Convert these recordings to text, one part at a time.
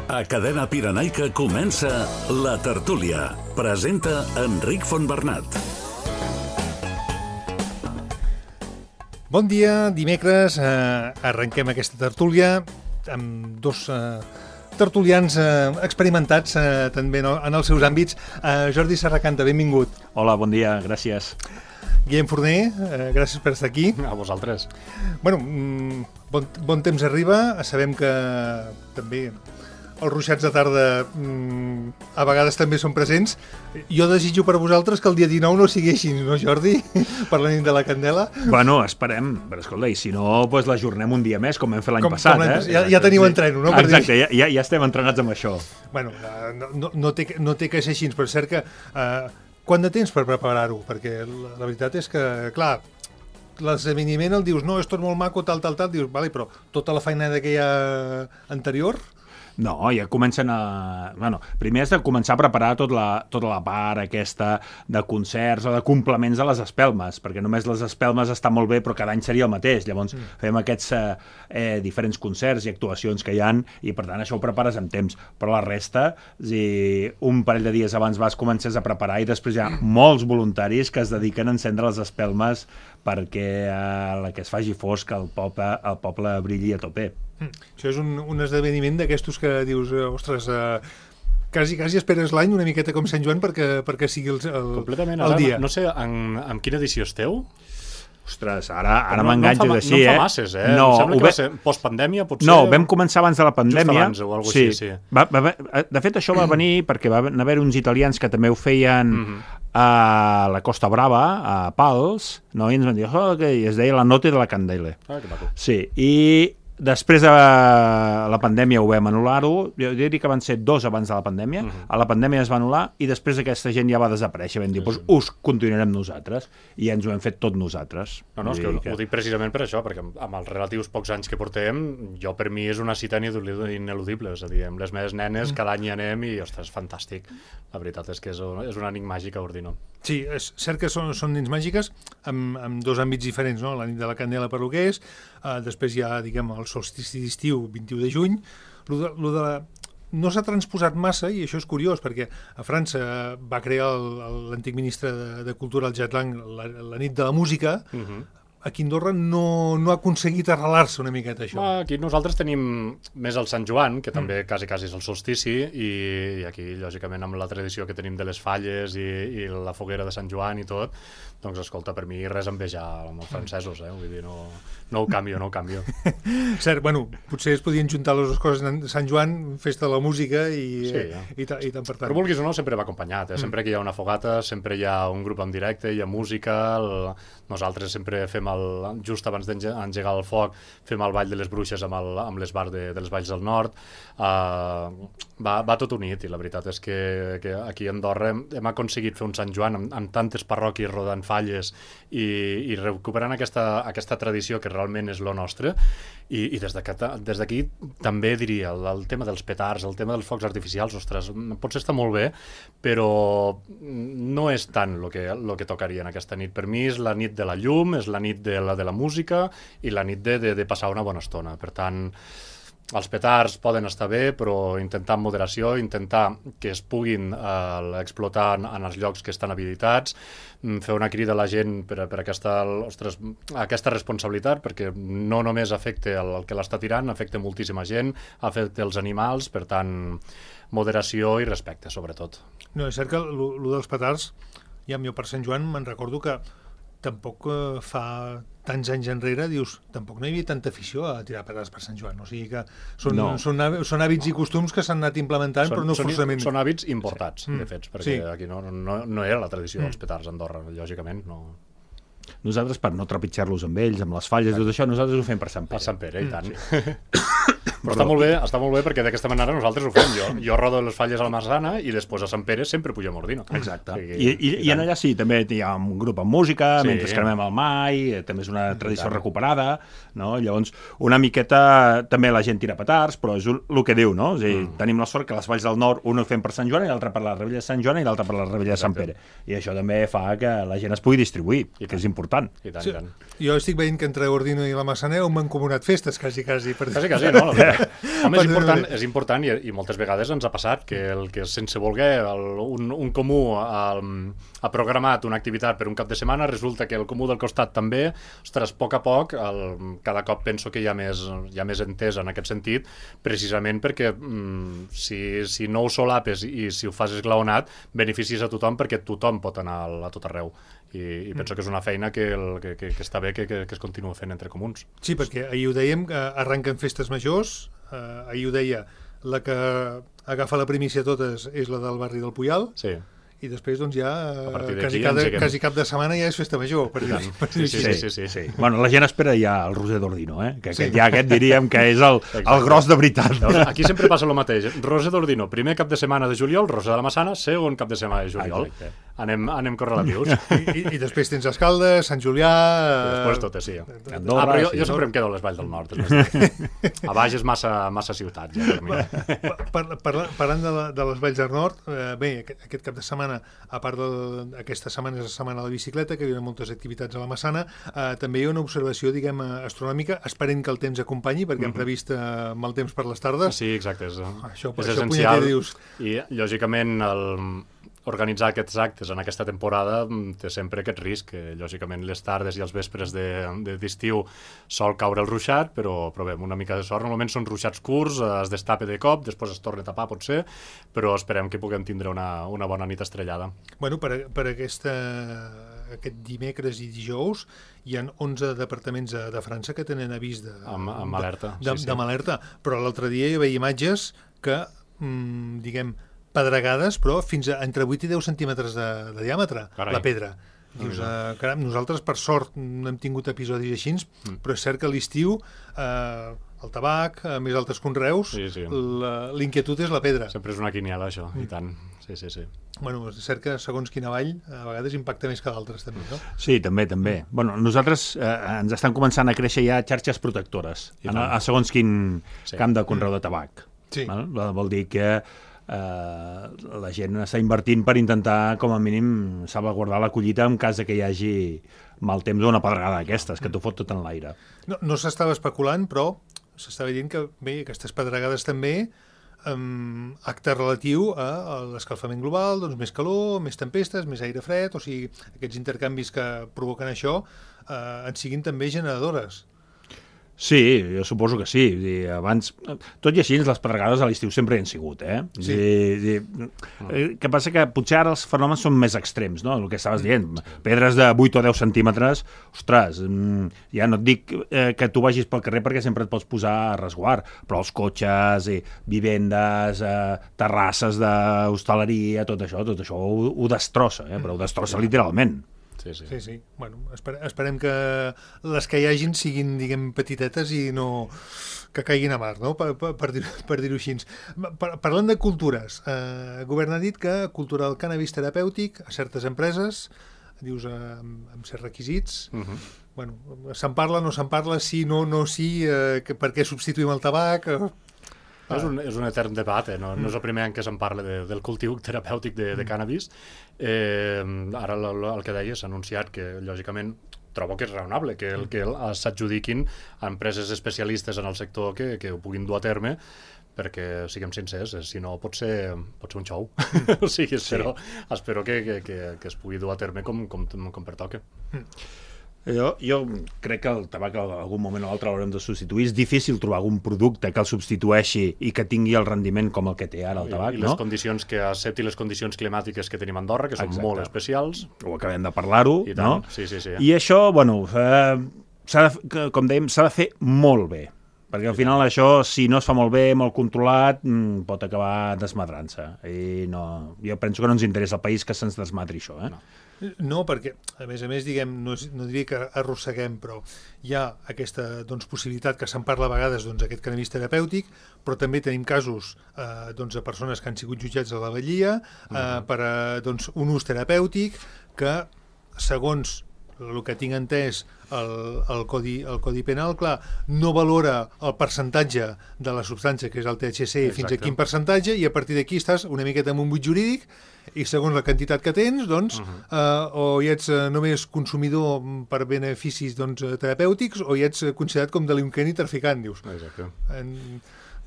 A Cadena Pirenaica comença La Tertúlia. Presenta Enric Fontbernat. Bon dia, dimecres arrenquem aquesta tertúlia amb dos tertulians experimentats també en els seus àmbits. Jordi Serracanta, benvingut. Hola, bon dia, gràcies. Guillem Forner, gràcies per estar aquí. A vosaltres. Bueno, bon temps arriba, sabem que també els ruixats de tarda a vegades també són presents. Jo desitjo per a vosaltres que el dia 19 no sigui així, no, Jordi? Per la nit de la Candela. Bueno, esperem, però escolta, i si no, doncs l'ajornem un dia més, com vam fer l'any passat. Ja teniu entreno, no? Exacte, ja estem entrenats amb això. Bueno, no té que ser així, però és cert que... Quant de temps per preparar-ho? Perquè la veritat és que, clar, l'esdeveniment el dius, no, és tot molt maco, tal, dius, vale, però tota la feina que hi ha anterior... No, ja comencen a... Bueno, primer has de començar a preparar tota la part aquesta de concerts o de complements a les espelmes, perquè només les espelmes estan molt bé, però cada any seria el mateix. Llavors fem aquests diferents concerts i actuacions que hi han i, per tant, això ho prepares amb temps. Però la resta, un parell de dies abans comences a preparar i després hi ha molts voluntaris que es dediquen a encendre les espelmes perquè la que es faci fosc el poble brilli a tope. Això és un esdeveniment d'aquestos que dius, ostres, quasi esperes l'any una miqueta com Sant Joan perquè sigui el dia. No sé en quina edició esteu? Ostres, ara m'enganxes així, No em fa masses, No, em sembla que va ser postpandèmia, potser... No, vam començar abans de la pandèmia. Just abans o alguna cosa així, sí. De fet, això va venir perquè va haver uns italians que també ho feien a la Costa Brava, a Pals, no? I ens van dir, i es deia La Notte de la Candela. Que maco. Sí, i després de la pandèmia ho vam anul·lar-ho, jo diria que van ser 2 abans de la pandèmia, a la pandèmia es va anul·lar i després aquesta gent ja va desaparèixer, vam dir, doncs us continuarem nosaltres, i ens ho hem fet tot nosaltres. No, és que ho dic precisament per això, perquè amb els relatius pocs anys que portem, jo per mi és una cita ineludible, és a dir, amb les meves nenes cada any hi anem i, ostres, fantàstic. La veritat és que és una nit màgica, Ordino. Sí, és cert que són nits màgiques amb dos àmbits diferents, no? La nit de la Candela per lo que és, després hi ha, diguem, el solstici d'estiu, 21 de juny. No s'ha transposat massa, i això és curiós, perquè a França va crear l'antic ministre de Cultura, el Jacques Lang, la nit de la música. Aquí a Andorra no ha aconseguit arrelar-se una miqueta, això. Aquí nosaltres tenim més el Sant Joan, que també quasi és el solstici, i aquí, lògicament, amb la tradició que tenim de les falles i la foguera de Sant Joan i tot, doncs, escolta, per mi res a envejar amb els francesos, vull dir, no ho canvio. Cert, bueno, potser es podien juntar les dues coses, Sant Joan, festa de la música i tant per tant. Però vulguis o no, sempre va acompanyat, sempre que hi ha una fogata, sempre hi ha un grup en directe, hi ha música, nosaltres sempre fem just abans d'engegar el foc, fem el ball de les bruixes amb l'esbar de les Valls del Nord. Va tot unit, i la veritat és que aquí a Andorra hem aconseguit fer un Sant Joan amb tantes parròquies rodant falles i recuperant aquesta tradició que realment és lo nostre, i des d'aquí també diria el tema dels petards, el tema dels focs artificials, ostres, potser està molt bé, però no és tant el que tocaria en aquesta nit. Per mi és la nit de la llum, és la nit de la música i la nit de passar una bona estona. Per tant, els petards poden estar bé, però intentar amb moderació, intentar que es puguin explotar en els llocs que estan habilitats, fer una crida a la gent per aquesta responsabilitat, perquè no només afecta el que l'està tirant, afecta moltíssima gent, afecta els animals, per tant, moderació i respecte, sobretot. No, és cert que el dels petards, ja jo per Sant Joan me'n recordo que tampoc fa tants anys enrere, dius, tampoc no hi havia tanta afició a tirar petards per Sant Joan. O sigui que són hàbits i costums que s'han anat implementant, però no forçament. Són hàbits importats, de fet, perquè aquí no era la tradició dels petards a Andorra, lògicament, no. Nosaltres, per no trepitjar-los amb ells, amb les falles, tot això, nosaltres ho fem per Sant Pere. Per Sant Pere, i tant. Però està molt bé perquè d'aquesta manera nosaltres ho fem. Jo rodo les falles a la Marzana i després a Sant Pere sempre pujo a Mordino. Exacte. I en allà sí, també hi ha un grup amb música, mentre cremem el mai, també és una tradició recuperada, no? Llavors, una miqueta també la gent tira petards, però és el que diu, no? És a dir, tenim la sort que les Valls del Nord un ho fem per Sant Joan i l'altre per la Rebella de Sant Joan i l'altre per la Rebella de Sant Pere. I això també fa que la gent es pugui distribuir, que és important. Jo estic veient que entre Ordino i la Massaneu m'han comunat festes, quasi. Quasi, no? Home, és important i moltes vegades ens ha passat que el que sense voler un comú ha programat una activitat per un cap de setmana, resulta que el comú del costat també, ostres, a poc, cada cop penso que hi ha més entesa en aquest sentit, precisament perquè si no ho solapes i si ho fas esglaonat, beneficis a tothom perquè tothom pot anar a tot arreu. I penso que és una feina que està bé que es continua fent entre comuns. Sí, perquè ahir ho dèiem, que arrenquen festes majors, ahir ho deia, la que agafa la primícia totes és la del barri del Puyal, sí. I després doncs ja quasi cap de setmana ja és festa major, per dir-ho. Sí. Bueno, la gent espera ja el Roser d'Ordino, que aquest diríem que és el gros de veritat. Aquí sempre passa el mateix. Roser d'Ordino, primer cap de setmana de juliol, Roser de la Massana, segon cap de setmana de juliol. Anem correlatius. I després tens Escaldes, Sant Julià... Després totes, sí. Andorra, però jo sempre em quedo a les Valls del Nord. A baix és massa ciutat, ja, per mi. Parlant de les Valls del Nord, bé, aquest cap de setmana, a part d'aquesta setmana és la setmana de la bicicleta, que hi ha moltes activitats a la Massana, també hi ha una observació, diguem, astronòmica, esperent que el temps acompanyi, perquè hem previst mal temps per les tardes. Sí, exacte. Això essencial. I, lògicament, organitzar aquests actes en aquesta temporada té sempre aquest risc, que lògicament les tardes i els vespres d'estiu sol caure el ruixat, però provem una mica de sort. Normalment són ruixats curts, es destapa de cop, després es torna a tapar potser, però esperem que puguem tindre una bona nit estrellada. Bueno, per aquest dimecres i dijous hi ha 11 departaments de França que tenen avís amb alerta. Alerta, però l'altre dia hi veia imatges que, diguem, pedregades, però fins a entre 8 i 10 centímetres de diàmetre, Carai. La pedra. Dius, caram, nosaltres per sort no hem tingut episodis així, però és cert que a l'estiu el tabac, més altres conreus, l'inquietud és la pedra. Sempre és una quiniela, això, i tant. Sí. Bueno, és cert que segons quina vall a vegades impacta més que d'altres també, no? Sí, també. Bueno, nosaltres ens estan començant a créixer ja xarxes protectores a segons quin camp de conreu de tabac. Sí. Vol dir que la gent està invertint per intentar, com a mínim, salvaguardar la collita en cas que hi hagi mal temps o una pedregada d'aquestes, que t'ho fot tot en l'aire. No s'estava especulant, però s'estava dient que bé, aquestes pedregades també acte relatiu a l'escalfament global, doncs més calor, més tempestes, més aire fred, o sigui, aquests intercanvis que provoquen això en siguin també generadores. Sí, jo suposo que sí. Abans, tot i així, les pedregades a l'estiu sempre hi han sigut, Sí. Que passa que potser ara els fenòmens són més extrems, no? El que estaves dient, pedres de 8 o 10 centímetres, ostres, ja no et dic que tu vagis pel carrer perquè sempre et pots posar a resguard, però els cotxes, vivendes, terrasses d'hostaleria, tot això ho destrossa, però ho destrossa literalment. Sí. Bueno, esperem que les que hi hagin siguin, diguem, petitetes i no que caiguin a mar, no? Per dir-ho així. Parlant de cultures, el govern ha dit que cultura del cànnabis terapèutic a certes empreses, dius, amb certs requisits, bueno, se'n parla, no se'n parla, sí, no, sí, per què substituïm el tabac... És un etern debat, no és el primer any que se'n parla del cultiu terapèutic de cànnabis. Ara el que deia s'ha anunciat que, lògicament, trobo que és raonable que s'adjudiquin a empreses especialistes en el sector que ho puguin dur a terme, perquè, siguem sincers, si no pot ser un xou. O sigui, espero que es pugui dur a terme com pertoca. Jo crec que el tabac en algun moment o altre l'haurem de substituir. És difícil trobar algun producte que el substitueixi i que tingui el rendiment com el que té ara el tabac, I les condicions que accepti les condicions climàtiques que tenim a Andorra, que són molt especials. Ho acabem de parlar-ho, no? Sí. I això, bueno, com dèiem, s'ha de fer molt bé. Perquè al final això, si no es fa molt bé, molt controlat, pot acabar desmadrant-se. I jo penso que no ens interessa al país que se'ns desmadri això, No, perquè, a més, diguem, no diria que arrosseguem, però hi ha aquesta possibilitat que se'n parla a vegades aquest cannabis terapèutic, però també tenim casos de persones que han sigut jutjats a la vetllia per un ús terapèutic que, segons el que tinc entès, el codi penal, clar, no valora el percentatge de la substància, que és el THC, fins a quin percentatge, i a partir d'aquí estàs una miqueta amb un buit jurídic, i segons la quantitat que tens, doncs, o hi ets només consumidor per beneficis terapèutics, o hi ets considerat com delinqüent i traficant, dius. Exacte.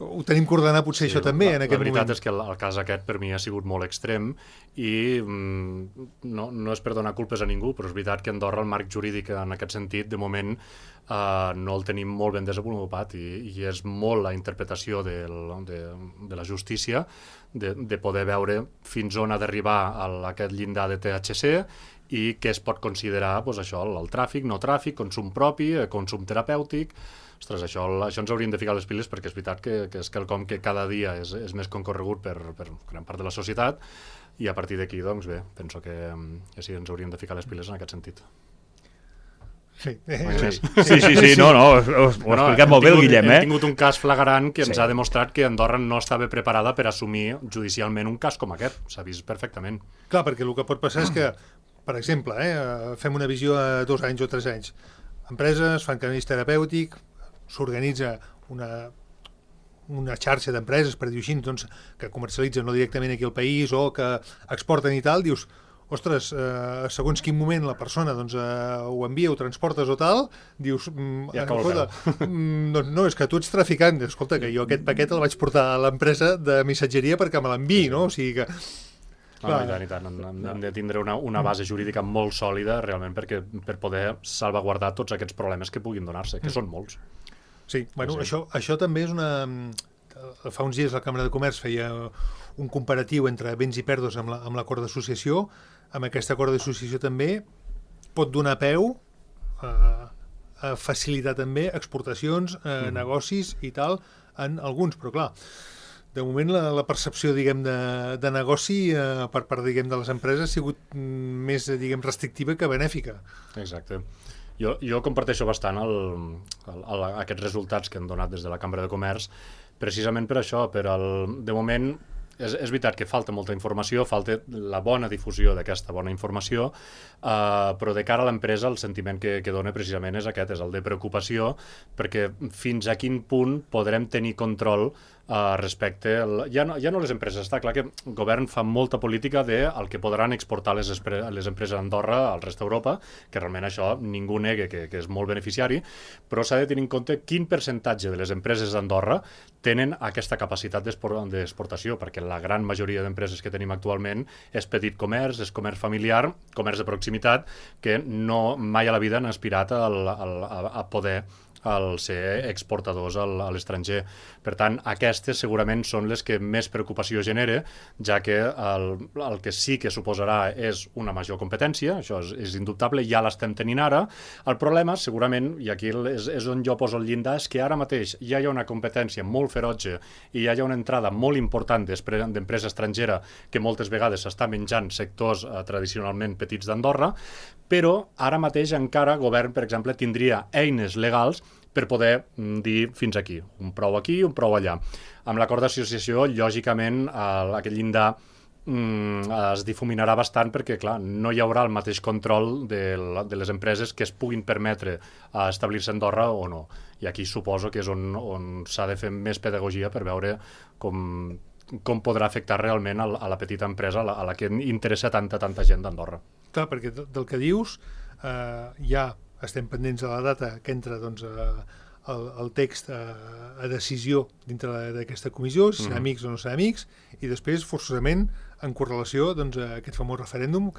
ho tenim que ordenar potser això també en aquest moment. La veritat és que el cas aquest per mi ha sigut molt extrem i no és per donar culpes a ningú, però és veritat que a Andorra el marc jurídic en aquest sentit de moment no el tenim molt ben desenvolupat i és molt la interpretació de la justícia de poder veure fins on ha d'arribar aquest llindar de THC i què es pot considerar això, el tràfic, no tràfic, consum propi, consum terapèutic. Ostres, això ens hauríem de ficar les piles perquè és veritat que és quelcom que cada dia és més concorregut per gran part de la societat i a partir d'aquí, doncs bé, penso que sí, ens hauríem de ficar les piles en aquest sentit. Sí, no, ho ha explicat molt bé el Guillem, Hem tingut un cas flagrant que ens ha demostrat que Andorra no estava preparada per assumir judicialment un cas com aquest, s'ha vist perfectament. Clar, perquè el que pot passar és que, per exemple, fem una visió a 2 anys o 3 anys, empreses fan canvis terapèutic, s'organitza una xarxa d'empreses, per dir-ho així, doncs, que comercialitzen no directament aquí al país o que exporten i tal, dius, ostres, segons quin moment la persona doncs, ho envia, ho transportes o tal, dius, no, és que tu ets traficant, escolta, que jo aquest paquet el vaig portar a l'empresa de missatgeria perquè me l'enviï, no? O sigui que... I tant. Hem de tindre una base jurídica molt sòlida realment per poder salvaguardar tots aquests problemes que puguin donar-se, que són molts. Sí, bueno, això també és una... Fa uns dies la Càmera de Comerç feia un comparatiu entre béns i pèrdues amb l'acord d'associació. Amb aquest acord d'associació també pot donar peu a facilitar també exportacions, negocis i tal, en alguns, però clar, de moment la percepció, diguem, de negoci per part, diguem, de les empreses ha sigut més, diguem, restrictiva que benèfica. Exacte. Jo comparteixo bastant aquests resultats que han donat des de la Cambra de Comerç, precisament per això, de moment és veritat que falta molta informació, falta la bona difusió d'aquesta bona informació, però de cara a l'empresa el sentiment que dona precisament és aquest, és el de preocupació, perquè fins a quin punt podrem tenir control respecte... Ja no les empreses, està clar que el govern fa molta política del que podran exportar les empreses d'Andorra al rest d'Europa, que realment això ningú nega que és molt beneficiari, però s'ha de tenir en compte quin percentatge de les empreses d'Andorra tenen aquesta capacitat d'exportació, perquè la gran majoria d'empreses que tenim actualment és petit comerç, és comerç familiar, comerç de proximitat, que mai a la vida han aspirat a poder ser exportadors a l'estranger. Per tant, aquestes segurament són les que més preocupació genera, ja que el que sí que suposarà és una major competència, això és indubtable, ja l'estem tenint ara. El problema, segurament, i aquí és on jo poso el llindar, és que ara mateix ja hi ha una competència molt ferotge i ja hi ha una entrada molt important d'empresa estrangera que moltes vegades s'està menjant sectors tradicionalment petits d'Andorra, però ara mateix encara el govern, per exemple, tindria eines legals per poder dir fins aquí, un prou aquí, un prou allà. Amb l'acord d'associació, lògicament, aquest llindar es difuminarà bastant perquè, clar, no hi haurà el mateix control de les empreses que es puguin permetre establir-se a Andorra o no. I aquí suposo que és on s'ha de fer més pedagogia per veure com podrà afectar realment a la petita empresa a la que interessa tanta gent d'Andorra. Clar, perquè del que dius ja estem pendents de la data que entra doncs, el text a decisió dintre d'aquesta comissió, si serà amics o no serà amics, i després, forçosament, en correlació doncs, a aquest famós referèndum,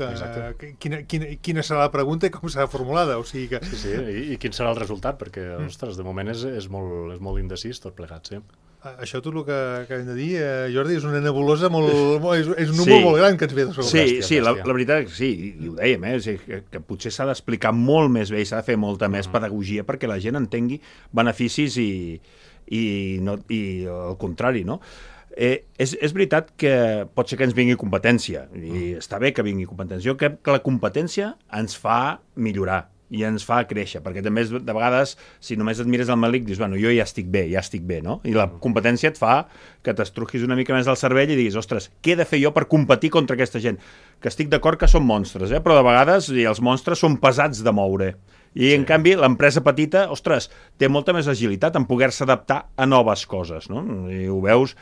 quina serà la pregunta i com serà formulada. O sigui que... Sí, i quin serà el resultat, perquè, ostres, de moment és molt indecís tot plegat, sí. Això tot el que acabem de dir, Jordi, és una nebulosa és un número molt gran que ens ve de sobre. Sí, la veritat és que sí, i ho dèiem, que potser s'ha d'explicar molt més bé i s'ha de fer molta més pedagogia perquè la gent entengui beneficis i el contrari, no? És veritat que pot ser que ens vingui competència, i està bé que vingui competència. Jo crec que la competència ens fa millorar i ens fa créixer, perquè també de vegades, si només et mires al melic, dius, bueno, jo ja estic bé, no? I la competència et fa que t'estruquis una mica més al cervell i diguis, ostres, què he de fer jo per competir contra aquesta gent? Que estic d'acord que són monstres, però de vegades els monstres són pesats de moure. I, en canvi, l'empresa petita, ostres, té molta més agilitat en poder-se adaptar a noves coses, no? I ho veus,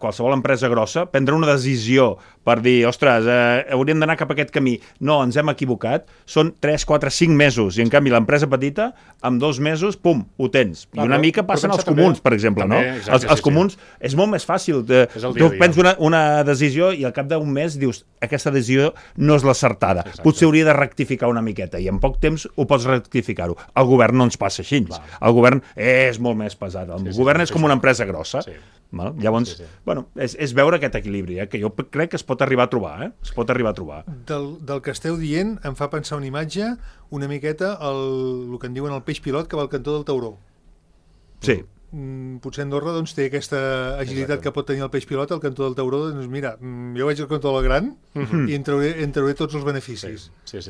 qualsevol empresa grossa, prendre una decisió per dir, ostres, hauríem d'anar cap a aquest camí. No, ens hem equivocat. Són 3, 4, 5 mesos. I, en canvi, l'empresa petita, en 2 mesos, pum, ho tens. I una mica passen als comuns, per exemple, no? Els comuns és molt més fàcil. Tu prens una decisió i al cap d'un mes dius, aquesta decisió no és l'acertada. Potser hauria de rectificar una miqueta i en poc temps ho pots rectificar-ho. El govern no ens passa així. El govern és molt més pesat. El govern és com una empresa grossa. Llavors, bueno, és veure aquest equilibri, que jo crec que es pot arribar a trobar, es pot arribar a trobar. Del que esteu dient em fa pensar una imatge una miqueta el que en diuen el peix pilot que va al cantó del tauró. Sí. Potser Andorra doncs, té aquesta agilitat que pot tenir el peix pilot al cantó del tauró, doncs mira, jo vaig al cantó del gran i en trauré tots els beneficis. Sí.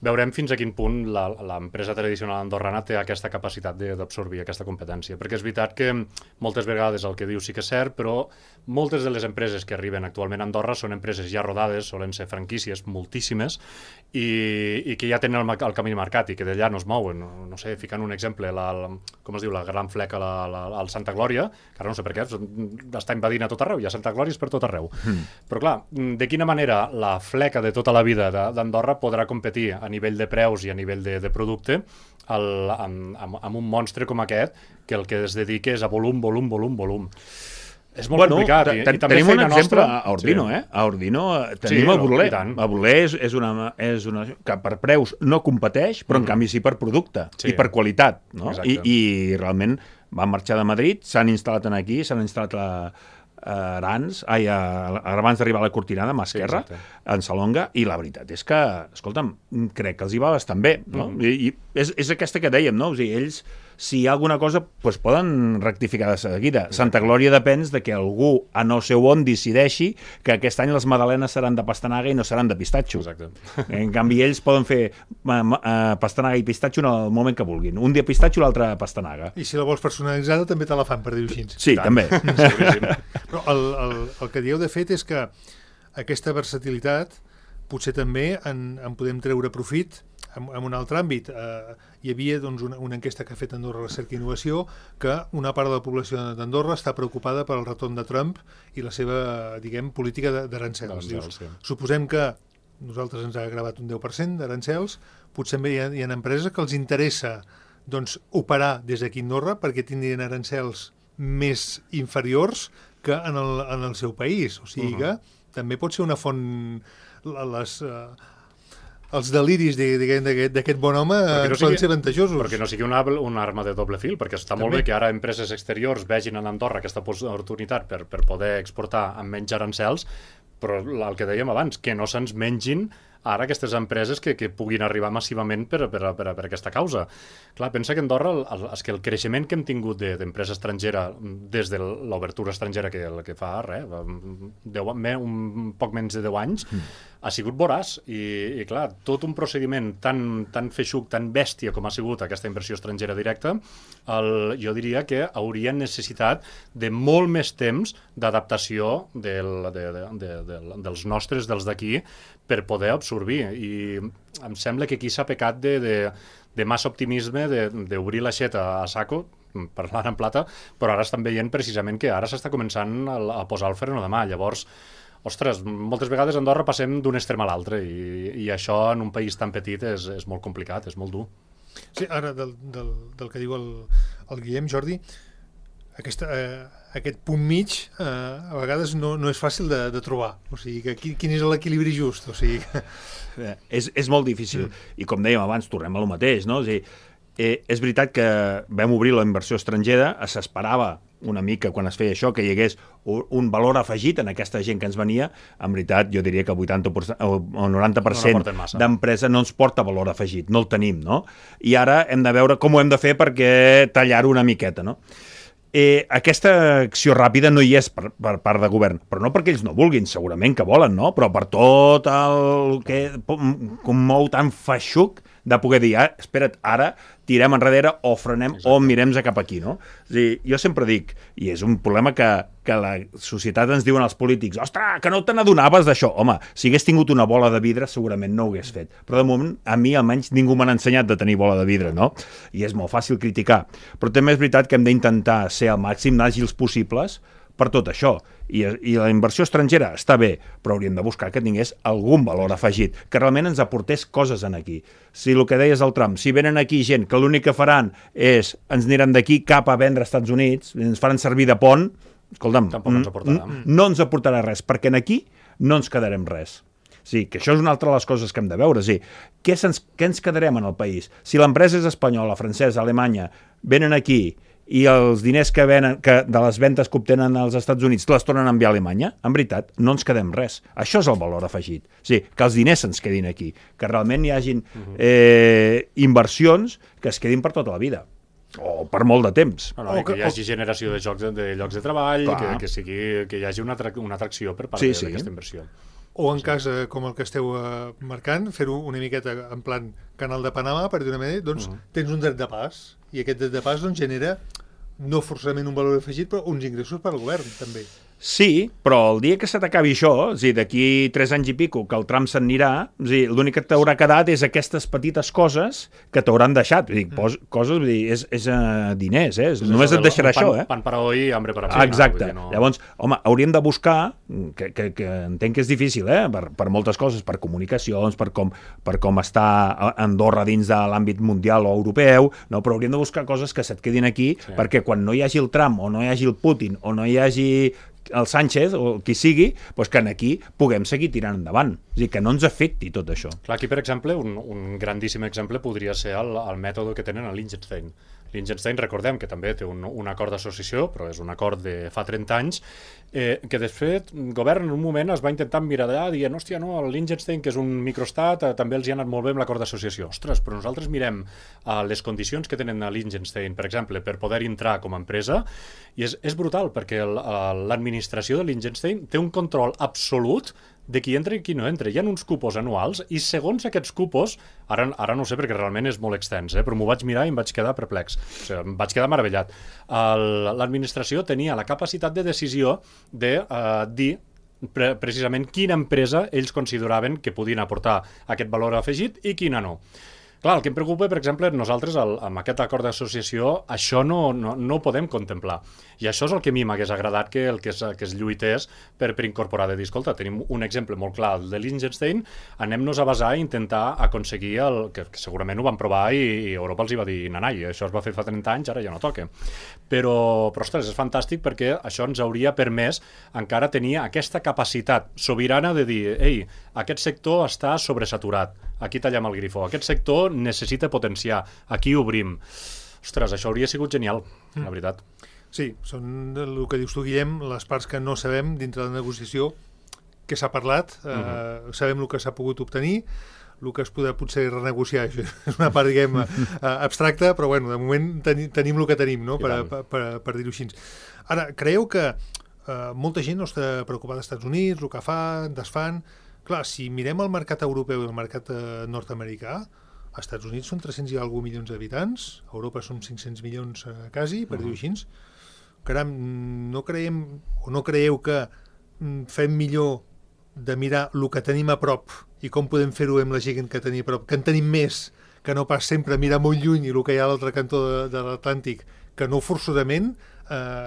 Veurem fins a quin punt l'empresa tradicional andorrana té aquesta capacitat d'absorbir aquesta competència, perquè és veritat que moltes vegades el que diu sí que és cert, però moltes de les empreses que arriben actualment a Andorra són empreses ja rodades, solen ser franquícies, moltíssimes, i que ja tenen el camí marcat i que d'allà no es mouen. No sé, ficant un exemple, com es diu, la Gran Fleca al Santa Glòria, que ara no sé per què, està invadint a tot arreu, hi ha Santa Glòries per tot arreu. Però clar, de quina manera la fleca de tota la vida d'Andorra podrà competir a nivell de preus i a nivell de producte amb un monstre com aquest que el que es dedica és a volum. És molt complicat. Tenim un exemple a Ordino, A Ordino tenim el Burler. El Burler és una que per preus no competeix, però en canvi sí per producte i per qualitat. I realment van marxar de Madrid, s'han instal·lat aquí, s'han instal·lat abans d'arribar a la Cortinada, a mà esquerra, en Salonga, i la veritat és que, escolta'm, crec que els hi va bastant bé, no? I és aquesta que dèiem, no? O sigui, ells, si hi ha alguna cosa, doncs poden rectificar de seguida. Santa Glòria depèn de que algú, a no sé on, decideixi que aquest any les magdalenes seran de pastanaga i no seran de pistatxo. En canvi, ells poden fer pastanaga i pistatxo en el moment que vulguin. Un dia pistatxo, l'altre pastanaga. I si la vols personalitzada, també te la fan, per dir-ho així. Sí, també. Però el que dieu de fet és que aquesta versatilitat potser també en podem treure profit en un altre àmbit. Hi havia doncs, una enquesta que ha fet Andorra Recerca i Innovació que una part de la població d'Andorra està preocupada per el retorn de Trump i la seva, diguem, política d'arancels. Suposem que nosaltres ens ha gravat un 10% d'arancels, potser hi ha empreses que els interessa doncs, operar des d'aquí a Andorra perquè tindrien arancels més inferiors que en el seu país. O sigui que també pot ser una font... els deliris d'aquest bon home poden ser avantajosos. Perquè no sigui una arma de doble fil, perquè està molt bé que ara empreses exteriors vegin en Andorra aquesta oportunitat per poder exportar amb menys arancels, però el que dèiem abans, que no se'ns mengin ara aquestes empreses que puguin arribar massivament per aquesta causa. Clar, pensa que Andorra, el creixement que hem tingut d'empresa estrangera des de l'obertura estrangera que fa un poc menys de 10 anys, ha sigut voraç. I clar, tot un procediment tan feixuc, tan bèstia com ha sigut aquesta inversió estrangera directa, jo diria que hauria necessitat de molt més temps d'adaptació dels nostres, dels d'aquí, per poder absorbir. I em sembla que aquí s'ha pecat de massa optimisme, d'obrir l'aixeta a saco, parlant en plata, però ara estan veient precisament que ara s'està començant a posar el freno de mà. Llavors, ostres, moltes vegades a Andorra passem d'un extrem a l'altre i això en un país tan petit és molt complicat, és molt dur. Sí, ara del que diu el Guillem, Jordi, aquest punt mig a vegades no és fàcil de trobar. O sigui, quin és l'equilibri just? O sigui... És molt difícil. I com dèiem abans, tornem a lo mateix, no? És a dir, és veritat que vam obrir la inversió estrangera, s'esperava una mica quan es feia això, que hi hagués un valor afegit en aquesta gent que ens venia. En veritat, jo diria que el 80% o 90% d'empresa no ens porta valor afegit, no el tenim, no? I ara hem de veure com ho hem de fer perquè tallar-ho una miqueta, no? Aquesta acció ràpida no hi és per part de govern, però no perquè ells no vulguin, segurament que volen, no? Però per tot el que mou tan feixuc de poder dir, espera't, ara tirem enrere o frenem o mirem cap aquí, no? És a dir, jo sempre dic, i és un problema que la societat ens diuen els polítics, ostres, que no te n'adonaves d'això. Home, si hagués tingut una bola de vidre segurament no ho hagués fet, però de moment a mi almenys ningú m'ha ensenyat de tenir bola de vidre, no? I és molt fàcil criticar, però també és veritat que hem d'intentar ser el màxim d'àgils possibles per tot això. I la inversió estrangera està bé, però hauríem de buscar que tingués algun valor afegit, que realment ens aportés coses en aquí. Si el que deies del Trump, si venen aquí gent que l'únic que faran és ens aniran d'aquí cap a vendre als Estats Units, ens faran servir de pont, escolta'm, no ens aportarà res, perquè en aquí no ens quedarem res. Sí, que això és una altra de les coses que hem de veure. Sí. Què ens quedarem en el país? Si l'empresa és espanyola, francesa, alemanya, venen aquí i els diners que venen de les ventes que obtenen als Estats Units les tornen a enviar a Alemanya, en veritat, no ens quedem res. Això és el valor afegit. Sí, que els diners se'ns quedin aquí, que realment hi hagin inversions que es quedin per tota la vida o per molt de temps. Que hi hagi generació de llocs de treball, que hi hagi una atracció per part d'aquesta inversió. O en cas com el que esteu marcant, fer-ho una miqueta en plan canal de Panamà, per dir una manera, doncs tens un dret de pas, i aquest dret de pas doncs, genera no forçament un valor afegit, però uns ingressos per al govern, també. Sí, però el dia que se t'acabi això, és a dir, d'aquí 3 anys i pico, que el tram se'n anirà, és a dir, l'únic que t'haurà quedat és aquestes petites coses que t'hauran deixat. Vull dir, coses, vull dir, és diners, només et deixarà això, Pan para hoy, hambre para mañana. Exacte. Llavors, home, hauríem de buscar, que entenc que és difícil, per moltes coses, per comunicacions, per com està Andorra dins de l'àmbit mundial o europeu, no? Però hauríem de buscar coses que se't quedin aquí, perquè quan no hi hagi el Trump, o no hi hagi el Putin, o no hi hagi el Sánchez o qui sigui, doncs que aquí puguem seguir tirant endavant. És a dir, que no ens afecti tot això. Clar, aquí, per exemple, un grandíssim exemple podria ser el mètode que tenen a Liechtenstein. Liechtenstein, recordem que també té un acord d'associació, però és un acord de fa 30 anys, que de fet el govern en un moment es va intentar mirar d'allà dient, hòstia, no, el Liechtenstein, que és un microestat, també els hi ha anat molt bé amb l'acord d'associació. Ostres, però nosaltres mirem les condicions que tenen a Liechtenstein, per exemple, per poder entrar com a empresa, i és brutal, perquè l'administració de Liechtenstein té un control absolut de qui entra i qui no entra. Hi ha uns cupos anuals i segons aquests cupos, ara no ho sé perquè realment és molt extens, però m'ho vaig mirar i em vaig quedar perplex. O sigui, em vaig quedar meravellat. L'administració tenia la capacitat de decisió de dir precisament quina empresa ells consideraven que podien aportar aquest valor afegit i quina no. Clar, el que em preocupa, per exemple, nosaltres amb aquest acord d'associació això no ho podem contemplar. I això és el que a mi m'hagués agradat que es lluités per incorporar de dir, escolta, tenim un exemple molt clar, el de Liechtenstein, anem-nos a basar i intentar aconseguir que segurament ho van provar i Europa els hi va dir, nanai, això es va fer fa 30 anys, ara ja no toca. Però ostres, és fantàstic perquè això ens hauria permès encara tenir aquesta capacitat sobirana de dir, ei, aquest sector està sobresaturat, aquí tallem el grifo, aquest sector necessita potenciar, aquí obrim. Ostres, això hauria sigut genial, la veritat. Sí, són el que dius tu, Guillem, les parts que no sabem dintre de la negociació, que s'ha parlat, sabem el que s'ha pogut obtenir, el que es podrà potser renegociar, això és una part, diguem, abstracta, però bueno, de moment tenim el que tenim, no? per dir-ho així. Ara, creieu que molta gent no està preocupada als Estats Units, el que fan, desfan. Clar, si mirem el mercat europeu i el mercat nord-americà, als Estats Units són 300 i alguna milions d'habitants, a Europa són 500 milions quasi, per dir-ho així. Caram, no creieu que fem millor de mirar el que tenim a prop i com podem fer-ho amb la gent que tenim a prop, que en tenim més, que no pas sempre mirar molt lluny i el que hi ha a l'altre cantó de l'Atlàntic, que no forçosament,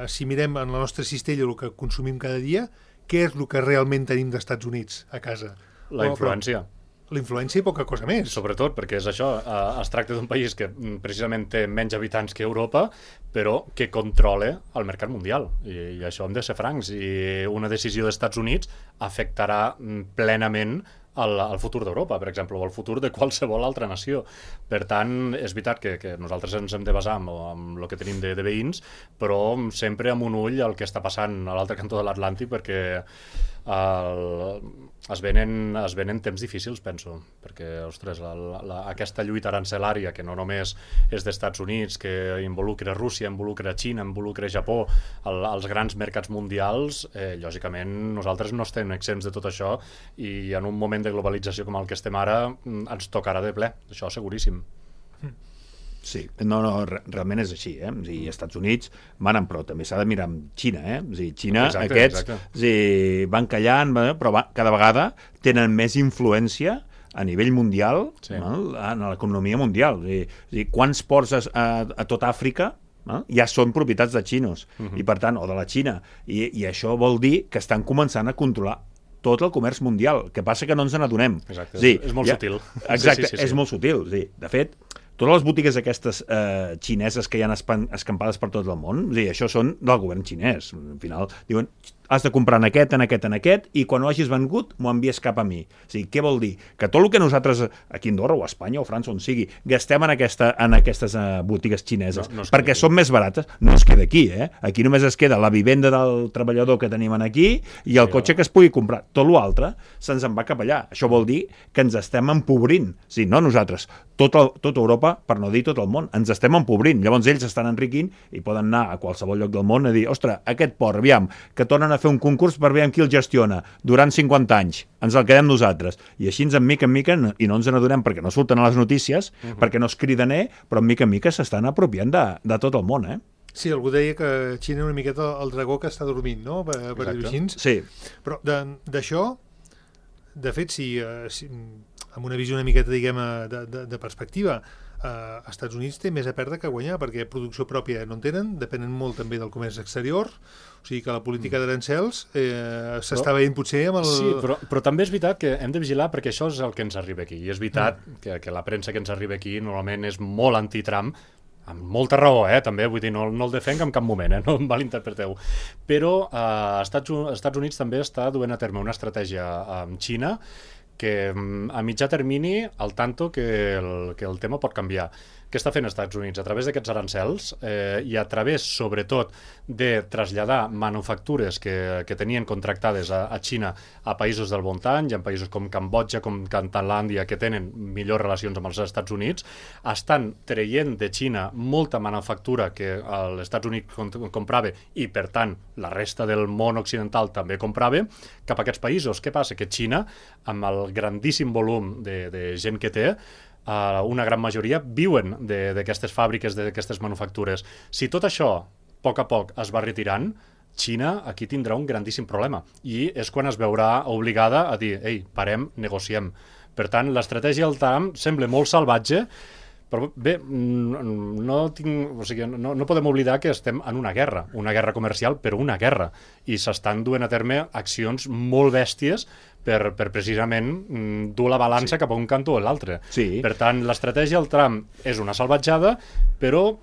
si mirem en la nostra cistella el que consumim cada dia, què és el que realment tenim d'Estats Units a casa? La influència. La influència i poca cosa més. Sobretot perquè és això, es tracta d'un país que precisament té menys habitants que Europa, però que controla el mercat mundial. I això hem de ser francs. I una decisió dels Estats Units afectarà plenament al futur d'Europa, per exemple, o al futur de qualsevol altra nació. Per tant, és veritat que nosaltres ens hem de basar en el que tenim de veïns, però sempre amb un ull el que està passant a l'altre cantó de l'Atlàntic, perquè es venen temps difícils, penso, perquè, ostres, aquesta lluita arancelària, que no només és dels Estats Units, que involucra Rússia, involucra Xina, involucra Japó, els grans mercats mundials, lògicament nosaltres no estem exempts de tot això, i en un moment de globalització com el que estem ara ens tocarà de ple, això seguríssim. Sí, no, realment és així, eh? Els Estats Units manen, però també s'ha de mirar amb Xina, eh? Xina, exacte. Van callant, però cada vegada tenen més influència a nivell mundial, en l'economia mundial. Quants ports a tot Àfrica ja són propietats de xinos, i per tant, o de la Xina, i això vol dir que estan començant a controlar tot el comerç mundial. El que passa que no ens n'adonem. Exacte, és molt sutil. Exacte, és molt sutil. De fet, totes les botigues aquestes xineses que hi ha escampades per tot el món, això són del govern xinès. Al final diuen, has de comprar en aquest, i quan ho hagis vengut m'ho envies cap a mi. Què vol dir? Que tot el que nosaltres, aquí a Andorra o a Espanya o a França, on sigui, gastem en aquestes botigues xineses, perquè són més barates, no es queda aquí, eh? Aquí només es queda la vivenda del treballador que tenim aquí i el cotxe que es pugui comprar. Tot l'altre se'ns en va cap allà. Això vol dir que ens estem empobrint. No nosaltres, tota Europa, per no dir tot el món, ens estem empobrint. Llavors ells estan enriquint i poden anar a qualsevol lloc del món a dir, ostres, aquest port, aviam, que tornen a fer un concurs per veure qui el gestiona durant 50 anys, ens el quedem nosaltres, i així en mica en mica, i no ens n'adonem perquè no surten a les notícies, perquè no es criden, però en mica en mica s'estan apropiant de tot el món, Sí, algú deia que Xina una miqueta el dragó que està dormint, no? Per dir-ho així. Sí. Però d'això, de fet, si amb una visió una miqueta, diguem, de perspectiva, Estats Units té més a perdre que a guanyar, perquè producció pròpia no en tenen, depenen molt també del comerç exterior, o sigui que la política d'arancels s'està veient potser amb el... Sí, però també és veritat que hem de vigilar perquè això és el que ens arriba aquí, i és veritat que la premsa que ens arriba aquí normalment és molt anti-Trump, amb molta raó, també, vull dir, no el defenc en cap moment, no em malinterpreteu. Però Estats Units també està duent a terme una estratègia amb Xina que a mitjà termini, al tanto que el tema pot canviar. Què està fent els Estats Units? A través d'aquests arancels i a través, sobretot, de traslladar manufactures que tenien contractades a Xina a països del voltant, i en països com Cambodja, com Tailàndia, que tenen millors relacions amb els Estats Units, estan traient de Xina molta manufactura que els Estats Units comprava i, per tant, la resta del món occidental també comprava, cap a aquests països. Què passa? Que Xina, amb el grandíssim volum de gent que té, una gran majoria viuen d'aquestes fàbriques, d'aquestes manufactures. Si tot això, a poc es va retirant, Xina aquí tindrà un grandíssim problema i és quan es veurà obligada a dir, ei, parem, negociem. Per tant, l'estratègia del Trump sembla molt salvatge, però bé, no podem oblidar que estem en una guerra comercial, però una guerra, i s'estan duent a terme accions molt bèsties per precisament dur la balança cap a un cantó o l'altre. Sí. Per tant, l'estratègia del Trump és una salvatjada, però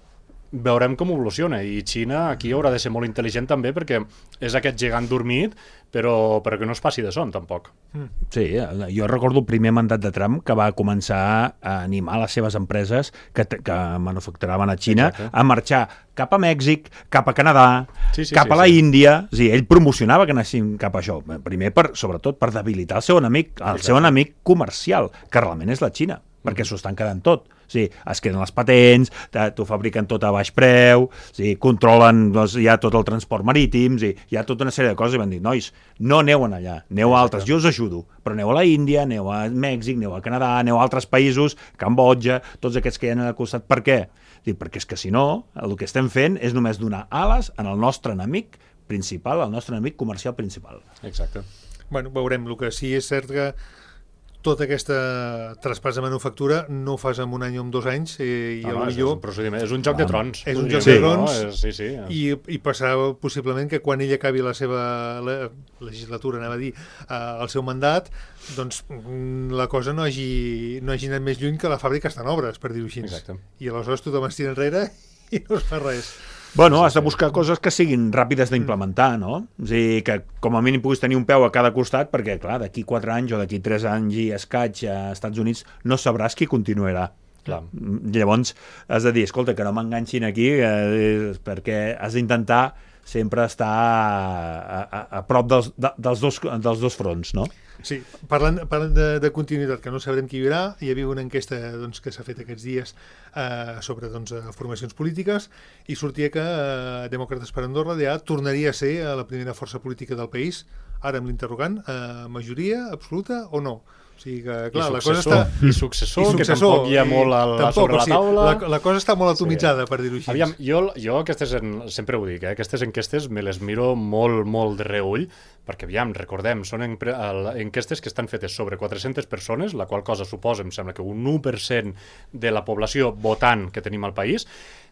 veurem com evoluciona, i Xina aquí haurà de ser molt intel·ligent també, perquè és aquest gegant dormit, però que no es passi de son, tampoc. Sí, jo recordo el primer mandat de Trump que va començar a animar les seves empreses que manufacturaven a Xina a marxar cap a Mèxic, cap a Canadà, cap a la Índia. Ell promocionava que anessin cap a això. Primer, sobretot, per debilitar el seu enemic comercial, que realment és la Xina, perquè s'ho estan quedant tot. Es queden les patents, t'ho fabriquen tot a baix preu, controlen ja tot el transport marítim, hi ha tota una sèrie de coses, i van dir, nois, no aneu allà, aneu a altres, jo us ajudo, però aneu a la Índia, aneu a Mèxic, aneu a Canadà, aneu a altres països, Cambodja, tots aquests que hi ha al costat. Per què? Perquè és que si no, el que estem fent és només donar ales al nostre enemic principal, al nostre enemic comercial principal. Exacte. Bueno, veurem. El que sí és cert que tota aquesta traspàs de manufactura no ho fas en un any o en 2 anys, i és un joc de trons. És un joc de trons, i passarà possiblement que quan ell acabi la seva legislatura, anava a dir, el seu mandat, doncs la cosa no hagi anat més lluny que la fàbrica està en obres, per dir-ho així. Exacte. I aleshores tothom es tira enrere i no es fa res. Bueno, has de buscar coses que siguin ràpides d'implementar, no? És a dir, que com a mínim puguis tenir un peu a cada costat, perquè, clar, d'aquí 4 anys o d'aquí 3 anys i escaig a Estats Units no sabràs qui continuarà. Clar. Llavors, has de dir, escolta, que no m'enganxin aquí, perquè has d'intentar sempre estar a prop dels dos fronts, no? Sí, parlant de continuïtat, que no sabrem qui hi haurà, hi havia una enquesta que s'ha fet aquests dies sobre formacions polítiques, i sortia que Demòcrates per Andorra ja tornaria a ser la primera força política del país, ara amb l'interrogant, majoria absoluta o no? O O sigui que, clar, la cosa està... I successor, que tampoc hi ha molt sobre la taula. La cosa està molt atomitzada, per dir-ho així. Aviam, jo aquestes, sempre ho dic, aquestes enquestes me les miro molt, molt de reüll, perquè, aviam, recordem, són enquestes que estan fetes sobre 400 persones, la qual cosa suposa, em sembla que un 1% de la població votant que tenim al país.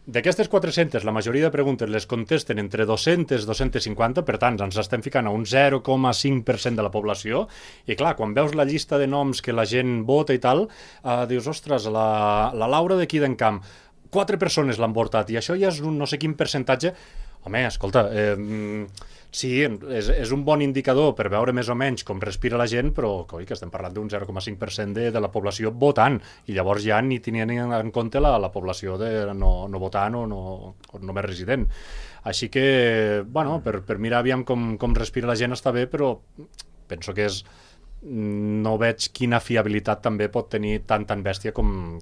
D'aquestes 400, la majoria de preguntes les contesten entre 200 i 250, per tant, ens estem ficant a un 0,5% de la població, i clar, quan veus la llista de noms que la gent vota i tal, dius, ostres, la Laura d'aquí d'Encamp, 4 persones l'han votat, i això ja és un no sé quin percentatge. Home, escolta, sí, és un bon indicador per veure més o menys com respira la gent, però coi, que estem parlant d'un 0,5% de la població votant, i llavors ja ni tenien en compte la població de no votant o només resident. Així que, bueno, per mirar aviam com respira la gent està bé, però penso que no veig quina fiabilitat també pot tenir tan bèstia com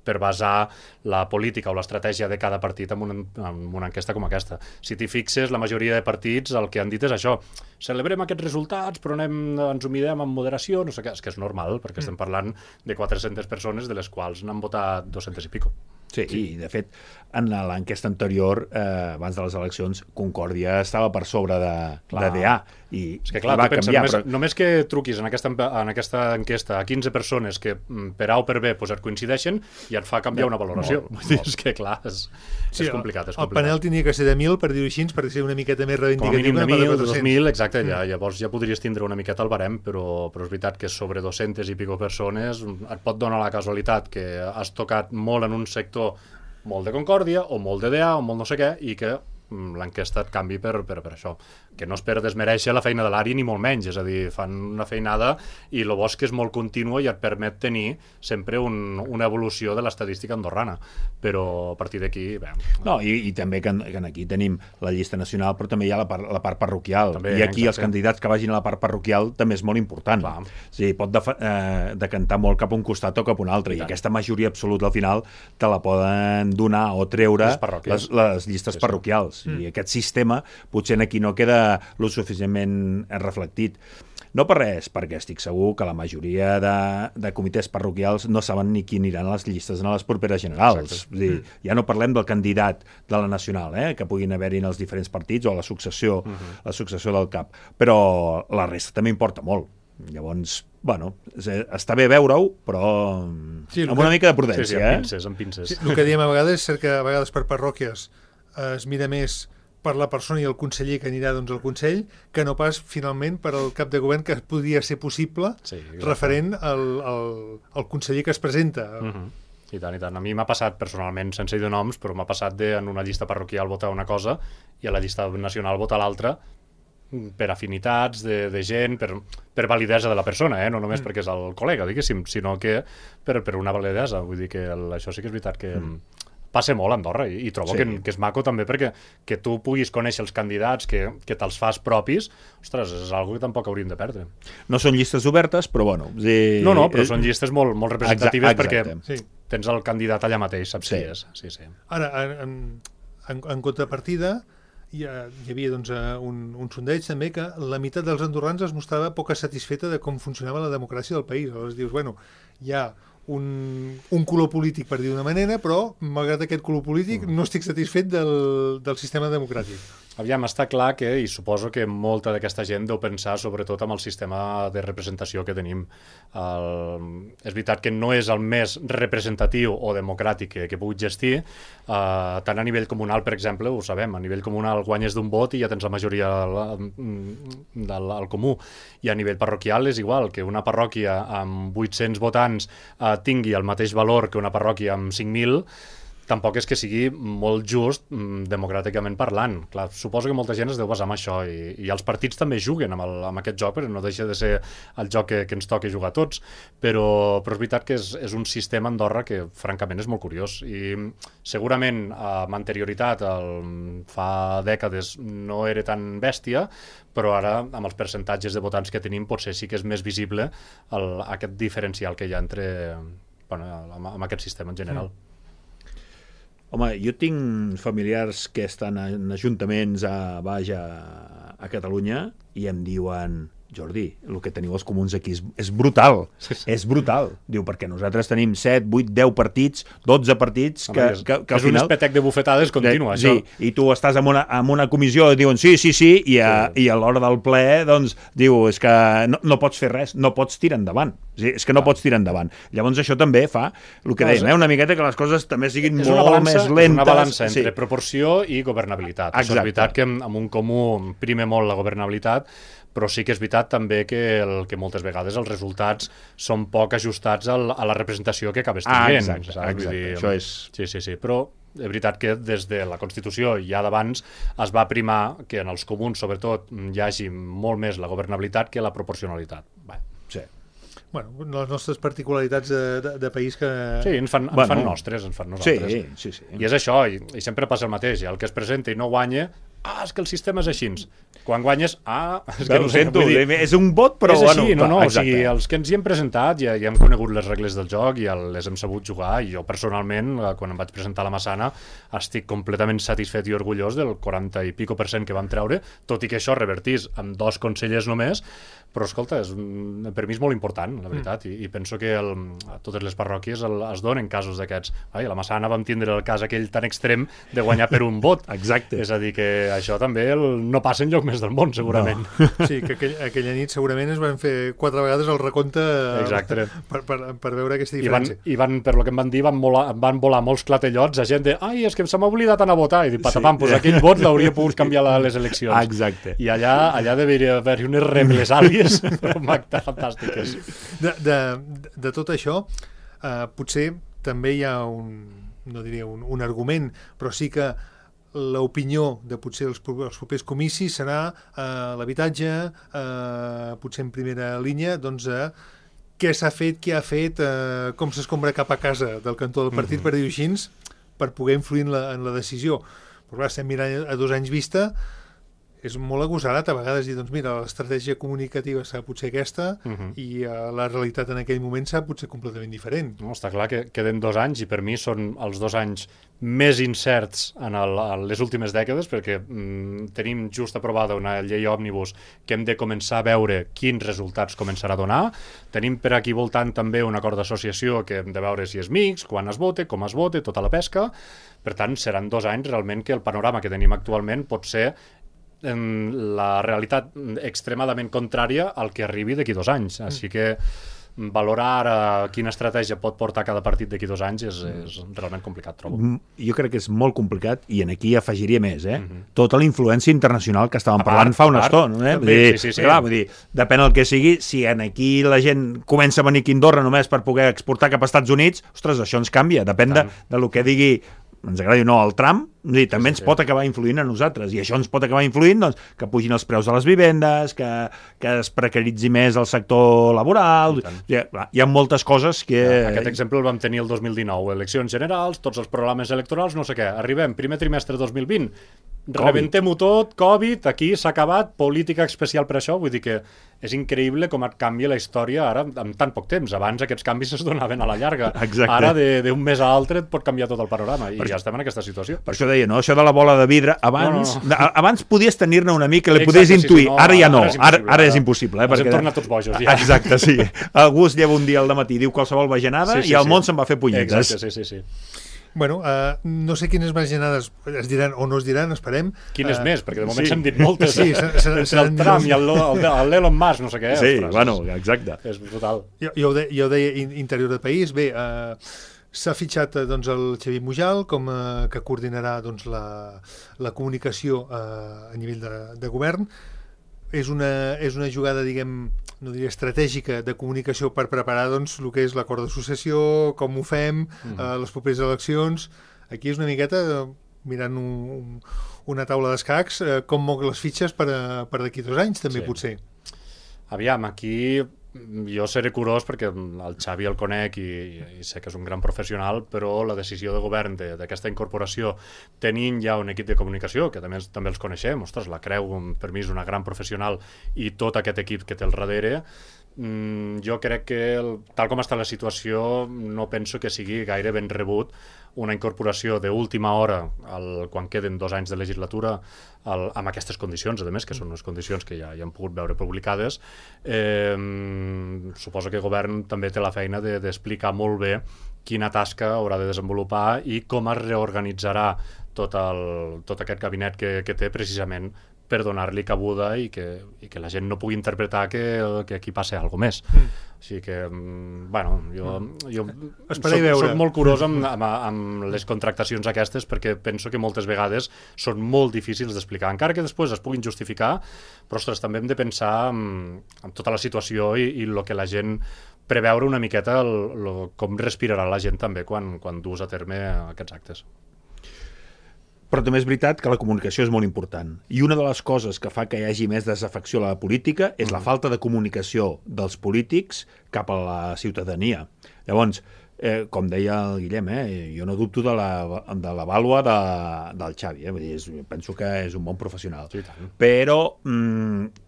per basar la política o l'estratègia de cada partit en una enquesta com aquesta. Si t'hi fixes, la majoria de partits el que han dit és això: celebrem aquests resultats, però ens ho mirem amb moderació, no sé què. És que és normal, perquè estem parlant de 400 persones, de les quals n'han votat 200 i pico. Sí, i de fet, en l'enquesta anterior, abans de les eleccions, Concòrdia estava per sobre de DA. I és que clar, va pensa, canviar. Només que truquis en aquesta enquesta a 15 persones que per A o per B et coincideixen, ja et fa canviar una valoració. És que clar, és complicat. El panel tenia que ser de 1.000, per dir-ho així, per ser una miqueta més reivindicatiu. Com a mínim de 1.000, de 2.000, exacte, llavors ja podries tindre una miqueta el barem, però és veritat que sobre 200 i pico persones et pot donar la casualitat que has tocat molt en un sector molt de Concòrdia, o molt de DA, o molt no sé què, i que l'enquesta et canvi per això. Que no és per desmereixer la feina de l'ARI ni molt menys, és a dir, fan una feinada i el bo és que és molt contínua i et permet tenir sempre una evolució de l'estadística andorrana, però a partir d'aquí... No, i també que aquí tenim la llista nacional, però també hi ha la part parroquial, també, i aquí els candidats que vagin a la part parroquial també és molt important. O sigui, pot decantar molt cap a un costat o cap a un altre, i aquesta majoria absoluta al final te la poden donar o treure les llistes parroquials. I aquest sistema potser aquí no queda lo suficientment reflectit. No per res, perquè estic segur que la majoria de comitès parroquials no saben ni qui aniran a les llistes en les properes generals. Ja no parlem del candidat de la nacional, que puguin haver-hi en els diferents partits, o la successió del cap. Però la resta també importa molt. Llavors, bueno, està bé veure-ho, però amb una mica de prudència. Amb pinces. El que diem a vegades és que a vegades per parròquies es mira més per la persona i el conseller que anirà al Consell, que no pas finalment per al cap de govern, que podria ser possible referent al conseller que es presenta. I tant, i tant. A mi m'ha passat personalment, sense dir noms, però m'ha passat en una llista parroquial votar una cosa i a la llista nacional votar l'altra, per afinitats de gent, per validesa de la persona, no només perquè és el col·lega, diguéssim, sinó que per una validesa. Vull dir que això sí que és veritat que passa molt a Andorra, i trobo que és maco també, perquè que tu puguis conèixer els candidats, que te'ls fas propis, ostres, és una que tampoc hauríem de perdre. No són llistes obertes, però bueno... No, però són llistes molt representatives, perquè tens el candidat allà mateix, saps qui és. Ara, en contrapartida, hi havia un sondeig també que la meitat dels andorrans es mostrava poc satisfeta de com funcionava la democràcia del país. Aleshores dius, bueno, hi ha un color polític, per dir d'una manera, però malgrat aquest color polític no estic satisfet del sistema democràtic. Aviam, està clar que, i suposo que molta d'aquesta gent deu pensar sobretot amb el sistema de representació que tenim. És veritat que no és el més representatiu o democràtic que pugui gestir, tant a nivell comunal, per exemple, ho sabem, a nivell comunal guanyes d'un vot i ja tens la majoria al comú, i a nivell parroquial és igual, que una parròquia amb 800 votants tingui el mateix valor que una parròquia amb 5.000, tampoc és que sigui molt just democràticament parlant. Clar, suposo que molta gent es deu basar en això, i els partits també juguen amb aquest joc, perquè no deixa de ser el joc que ens toca jugar a tots, però és veritat que és un sistema a Andorra que francament és molt curiós, i segurament amb anterioritat, fa dècades, no era tan bèstia, però ara, amb els percentatges de votants que tenim, potser sí que és més visible aquest diferencial que hi ha amb aquest sistema en general. Home, jo tinc familiars que estan en ajuntaments a Catalunya i em diuen, Jordi, el que teniu els comuns aquí és brutal, és brutal. Diu, perquè nosaltres tenim 7, 8, 10 partits, 12 partits que és al un final... espetec de bufetades continu, això. Sí, i tu estàs en una comissió i diuen sí, i a l'hora del ple, doncs, diu, és que no pots fer res, no pots tirar endavant. És que no pots tirar endavant. Llavors això també fa, el que dèiem, una miqueta que les coses també siguin molt més lentes. És una balança entre proporció i governabilitat. Exacte. Això és veritat que amb un comú prime molt la governabilitat, però sí que és veritat també que moltes vegades els resultats són poc ajustats a la representació que acabes tenint. Exacte. Això és... Sí, però és veritat que des de la Constitució ja d'abans es va primar que en els comuns, sobretot, hi hagi molt més la governabilitat que la proporcionalitat. Sí. Bueno, les nostres particularitats de país que... Sí, ens fan nostres, ens fan nosaltres. Sí. I és això, i sempre passa el mateix. El que es presenta i no guanya, és que el sistema és així. Quan guanyes, és que no sento, és un vot, però... És així, bueno, o sigui, els que ens hi hem presentat ja hem conegut les regles del joc i les hem sabut jugar, i jo personalment, quan em vaig presentar a la Massana, estic completament satisfet i orgullós del 40 i pico % que vam treure, tot i que això revertís amb 2 consellers només, però escolta, per mi és molt important, la veritat, i penso que a totes les parròquies es donen casos d'aquests. A la Massana vam tindre el cas aquell tan extrem de guanyar per un vot. Exacte. És a dir, que això també no passa enlloc més del món, segurament. No. Sí, que aquella nit segurament es van fer 4 vegades el recompte per veure aquesta diferència. I van, per lo que em van dir, van volar molts clatellots a gent de és que se m'ha oblidat anar a votar, i dic, patapam, doncs aquell vot l'hauria pogut canviar a les eleccions. Exacte. I allà deveria haver-hi unes represàlies fantàstiques. De tot això, potser també hi ha no diria un argument, però sí que l'opinió de potser els propers comicis serà l'habitatge, potser en primera línia, doncs què s'ha fet, què ha fet, com s'escombra cap a casa del cantó del partit, per dir-ho així, per poder influir en la decisió. Però clar, estem mirant a 2 anys vista, és molt agosarat a vegades dir, doncs mira, l'estratègia comunicativa serà potser aquesta i la realitat en aquell moment serà potser completament diferent. No, està clar que queden 2 anys, i per mi són els 2 anys més incerts en les últimes dècades, perquè tenim just aprovada una llei òmnibus que hem de començar a veure quins resultats començarà a donar. Tenim per aquí voltant també un acord d'associació que hem de veure si és mixt, quan es vote, com es vote, tota la pesca. Per tant, seran 2 anys realment que el panorama que tenim actualment pot ser en la realitat extremadament contrària al que arribi d'aquí 2 anys. Així que valorar quina estratègia pot portar cada partit d'aquí 2 anys és realment complicat, trobo. Jo crec que és molt complicat, i en aquí afegiria més, tota la influència internacional que estàvem parlant fa una estona. Sí. Clar, vull dir, depèn del que sigui, si en aquí la gent comença a venir aquí a Andorra només per poder exportar cap als Estats Units, ostres, això ens canvia, depèn de lo que digui, ens agradi o no, el Trump, també ens pot acabar influint a nosaltres, i això ens pot acabar influint, doncs, que pugin els preus de les vivendes, que es precaritzi més el sector laboral. Hi ha moltes coses que... Aquest exemple el vam tenir el 2019, eleccions generals, tots els programes electorals, no sé què, arribem, primer trimestre 2020, rebentem-ho tot, Covid, aquí s'ha acabat, política especial per això, vull dir que és increïble com et canvia la història ara en tan poc temps. Abans aquests canvis es donaven a la llarga. Exacte. Ara d'un mes a l'altre et pot canviar tot el panorama, i ja estem en aquesta situació. Per això deia, no? Això de la bola de vidre, abans podies tenir-ne una mica, li podies intuir, ara ja no, ara és impossible. Ens hem tornat tots bojos, ja. Exacte, sí. Algú es lleva un dia al dematí, diu qualsevol bajanada, i el món se'n va fer punyetes. Exacte, sí. Bueno, no sé quines bajanades es diran o no es diran, esperem. Quines més? Perquè de moment s'hem dit moltes. Sí, entre el Trump i l'Elon Musk, no sé què. Sí, bueno, exacte. És brutal. Jo ho deia interior de país. Bé, s'ha fitxat doncs, el Xavier Mujal que coordinarà doncs, la comunicació a nivell de govern. És una jugada, diguem, no diria estratègica, de comunicació per preparar doncs, el que és l'acord d'associació, com ho fem, les properes eleccions. Aquí és una miqueta mirant una taula d'escacs, com moc les fitxes per d'aquí 2 anys, també, potser. Aviam, aquí jo seré curós perquè el Xavi el conec i sé que és un gran professional, però la decisió de govern d'aquesta incorporació, tenint ja un equip de comunicació, que també els coneixem, ostres, la Creu per mi és una gran professional, i tot aquest equip que té al darrere, jo crec que, tal com està la situació, no penso que sigui gaire ben rebut una incorporació d'última hora quan queden 2 anys de legislatura amb aquestes condicions, a més, que són unes condicions que ja han pogut veure publicades. Suposo que el govern també té la feina d'explicar molt bé quina tasca haurà de desenvolupar i com es reorganitzarà tot aquest gabinet que té precisament per donar-li cabuda i que la gent no pugui interpretar que aquí passa alguna més. Així que, bueno, jo soc molt curós amb les contractacions aquestes perquè penso que moltes vegades són molt difícils d'explicar, encara que després es puguin justificar, però, ostres, també hem de pensar en tota la situació i el que la gent preveure una miqueta com respirarà la gent també quan dus a terme aquests actes. Però també és veritat que la comunicació és molt important. I una de les coses que fa que hi hagi més desafecció a la política és la falta de comunicació dels polítics cap a la ciutadania. Llavors, com deia el Guillem, jo no dubto de la vàlua del Xavi. Vull dir, penso que és un bon professional. Sí, però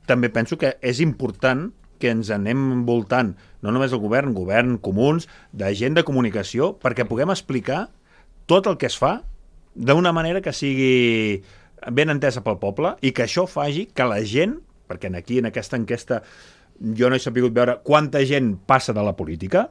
també penso que és important que ens anem envoltant, no només el govern, comuns, de gent de comunicació, perquè puguem explicar tot el que es fa d'una manera que sigui ben entesa pel poble i que això faci que la gent, perquè aquí en aquesta enquesta jo no he sabut veure quanta gent passa de la política,